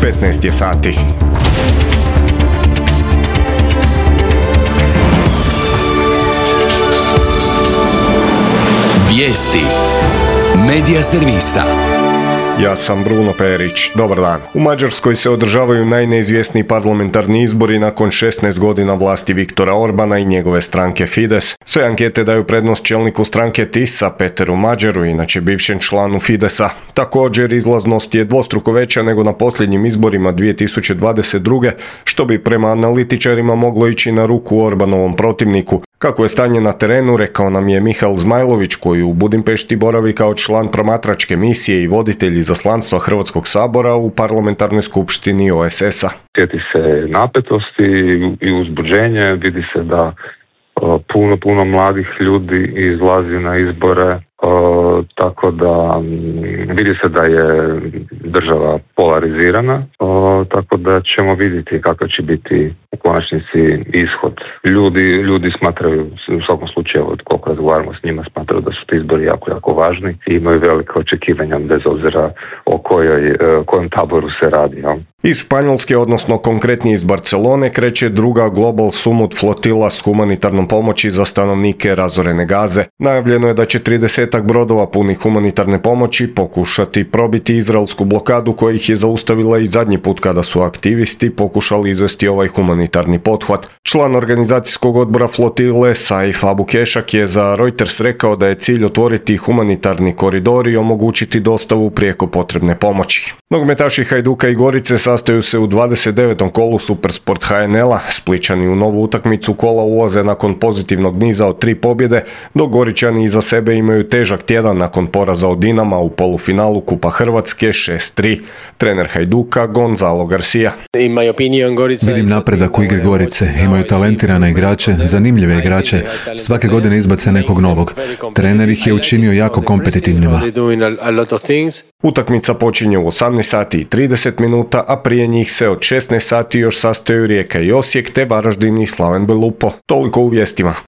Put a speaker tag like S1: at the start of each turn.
S1: 15 je sati.
S2: Vijesti Medija servisa.
S1: Ja sam Bruno Perić. Dobar dan. U Mađarskoj se održavaju najneizvjesniji parlamentarni izbori nakon 16 godina vlasti Viktora Orbana i njegove stranke Fides. Sve ankete daju prednost čelniku stranke TIS-a, Peteru Mađaru, inače bivšem članu Fidesa. Također, izlaznost je dvostruko veća nego na posljednjim izborima 2022. što bi prema analitičarima moglo ići na ruku Orbanovom protivniku. Kako je stanje na terenu, rekao nam je Mihael Zmajlović, koji u Budimpešti boravi kao član promatračke misije i voditelj izaslanstva Hrvatskog sabora u parlamentarnoj skupštini OESS-a.
S3: Sjeti se napetosti i uzbuđenje, vidi se da puno mladih ljudi izlazi na izbore, tako da vidi se da je država polarizirana, tako da ćemo vidjeti kakav će biti u konačnici ishod. Ljudi smatraju, u svakom slučaju, koliko razgovaramo s njima, smatraju da su ti izbori jako važni i imaju velike očekivanja bez obzira o kojem taboru se radi. Ja.
S1: Iz Španjolske, odnosno konkretnije iz Barcelone, kreće druga Global Summit flotila s humanitarnom pomoći za stanovnike razorene Gaze. Najavljeno je da će 30 brodova punih humanitarne pomoći pokušati probiti izraelsku blokadu koja ih je zaustavila i zadnji put kada su aktivisti pokušali izvesti ovaj humanitarni pothvat. Član organizacijskog odbora flotile Saif Abu Kešak je za Reuters rekao da je cilj otvoriti humanitarni koridor i omogućiti dostavu prijeko potrebne pomoći. Nogometaši Hajduka i Gorice sastaju se u 29. kolu Supersport HNL-a. Splićani u novu utakmicu kola ulaze nakon pozitivnog niza od 3 pobjede, dok Goričani iza sebe imaju težak tjedan nakon poraza od Dinama u polufinalu Kupa Hrvatske 6-3. Trener Hajduka Gonzalo Garcia.
S4: Vidim napredak u igri Gorice, imaju talentirane igrače, zanimljive igrače, svake godine izbace nekog novog. Trener ih je učinio jako kompetitivnima.
S1: Utakmica počinje u 18 sati i 30 minuta, a prije njih se od 16 sati još sastaju Rijeka i Osijek te Varaždin i Slaven Belupo. Toliko u vijestima.